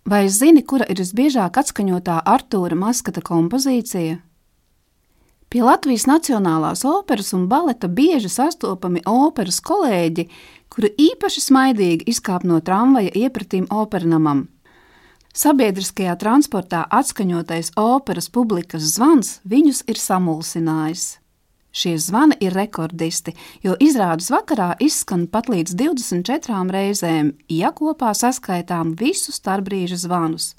Vai zini, kura ir visbiežāk atskaņotā Artūra Maskata kompozīcija? Pie Latvijas Nacionālās operas un baleta bieži sastopami operas kolēģi, kuri īpaši smaidīgi izkāp no tramvaja iepratīm opernamam. Sabiedriskajā transportā atskaņotais operas publikas zvans viņus ir samulsinājis. Šie zvani ir rekordisti, jo izrādes vakarā izskan pat līdz 24 reizēm, ja kopā saskaitām visu starpbrīža zvanus.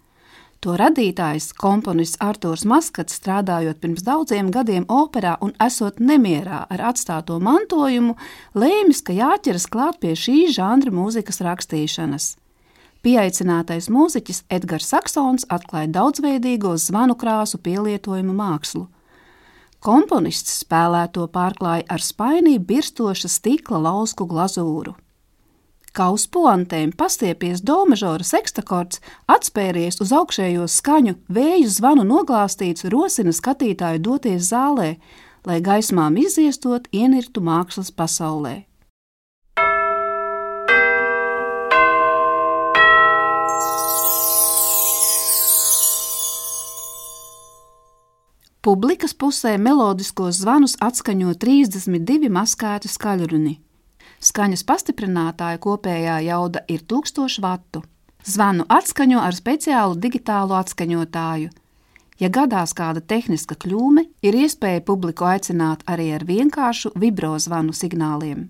To radītājs, komponists Artūrs Maskats, strādājot pirms daudziem gadiem operā un esot nemierā ar atstāto mantojumu, lēmis, ka jāķeras klāt pie šī žanra mūzikas rakstīšanas. Pieaicinātais mūziķis Edgars Saksons atklāja daudzveidīgo zvanu krāsu pielietojumu mākslu. Komponists spēlēto pārklāja ar spainī birstoša stikla lausku glazūru. Kā uz puantēm pastiepies do mažora sekstakords, atspēries uz augšējo skaņu, vēju zvanu noglāstīts rosina skatītāju doties zālē, lai gaismām izziestot ienirtu mākslas pasaulē. Publikas pusē melodiskos zvanus atskaņo 32 maskēti skaļruni. Skaņas pastiprinātāja kopējā jauda ir 1000 vatu. Zvanu atskaņo ar speciālu digitālu atskaņotāju. Ja gadās kāda tehniska kļūme, ir iespēja publiku aicināt arī ar vienkāršu vibrozvanu signāliem.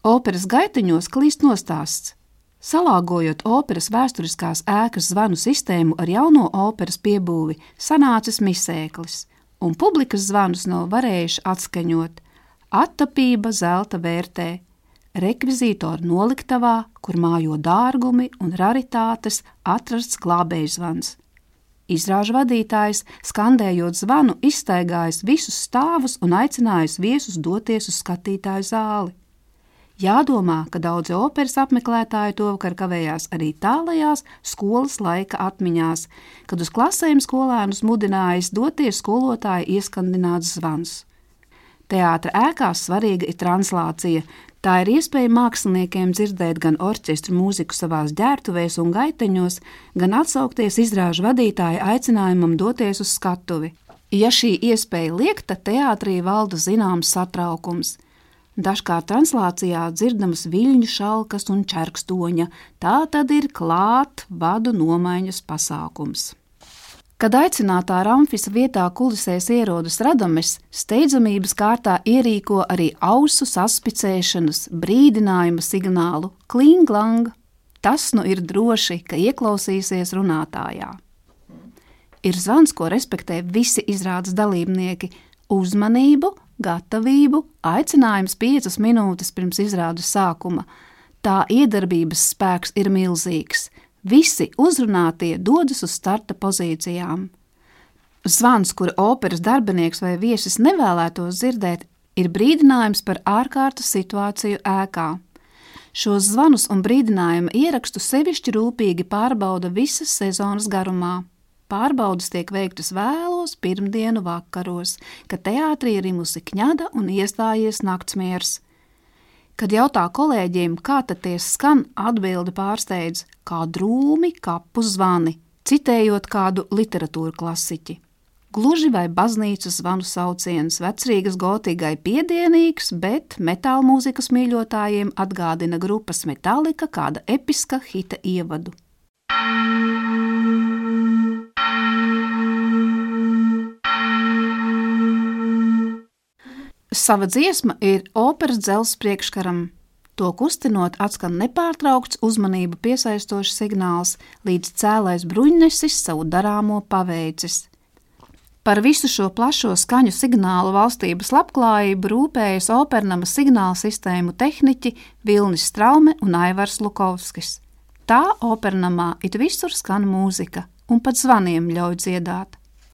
Operas gaitiņos klīst nostāsts. Salāgojot operas vēsturiskās ēkas zvanu sistēmu ar jauno operas piebūvi, sanācis misēklis, un publikas zvanus nav varējuši atskaņot. Attapība zelta vērtē, rekvizītoru noliktavā, kur mājo dārgumi un raritātes, atrasts glābējzvans. Izrāžu vadītājs, skandējot zvanu, izstaigājis visus stāvus un aicinājis viesus doties uz skatītāju zāli. Jādomā, ka daudzi operas apmeklētāji tovakar kavējās arī tālajās skolas laika atmiņās, kad uz klasēm skolēnus mudinājis doties skolotāja ieskandināts zvans. Teātra ēkās svarīga ir translācija. Tā ir iespēja māksliniekiem dzirdēt gan orķestru mūziku savās ģērtuvēs un gaiteņos, gan atsaukties izrāžu vadītāja aicinājumam doties uz skatuvi. Ja šī iespēja liekta, teātrī valda zināms satraukums. Dažkārt translācijā dzirdamas viļņu šalkas un čerkstoņa, tā tad ir klāt vadu nomaiņas pasākums. Kad aicinātā Ramfisa vietā kulisēs ierodas Radames, steidzamības kārtā ierīko arī ausu saspicēšanas, brīdinājuma signālu kling-lang. Tas nu ir droši, ka ieklausīsies runātājā. Ir zvans, ko respektē visi izrādes dalībnieki – uzmanību, gatavību, aicinājums 5 minūtes pirms izrādes sākuma. Tā iedarbības spēks ir milzīgs. Visi uzrunātie dodas uz starta pozīcijām. Zvans, kuru operas darbinieks vai viesis nevēlētos dzirdēt, ir brīdinājums par ārkārtas situāciju ēkā. Šos zvanus un brīdinājuma ierakstu sevišķi rūpīgi pārbauda visas sezonas garumā. Pārbaudas tiek veiktas vēlos pirmdienu vakaros, kad teātrī ir rimusi kņada un iestājies naktsmiers. Kad jautā kolēģiem, kā tad tie skan, atbildi pārsteidz kā drūmi kapu zvani, citējot kādu literatūru klasiķi. Gluži vai baznīcas zvanu sauciens Vecrīgas gotīgai piedienīgs, bet metāla mūzikas mīļotājiem atgādina grupas Metallica kāda episka hita ievadu. Sava dziesma ir operas dzelzs priekškaram. To kustinot atskan nepārtraukts uzmanību piesaistošs signāls, līdz cēlais bruņnesis savu darāmo paveicis. Par visu šo plašo skaņu signālu valstības labklājību rūpējas opernama signāla sistēmu tehniķi Vilnis Straume un Aivars Lukovskis. Tā opernamā it visur skan mūzika un pat zvaniem ļauj dziedāt.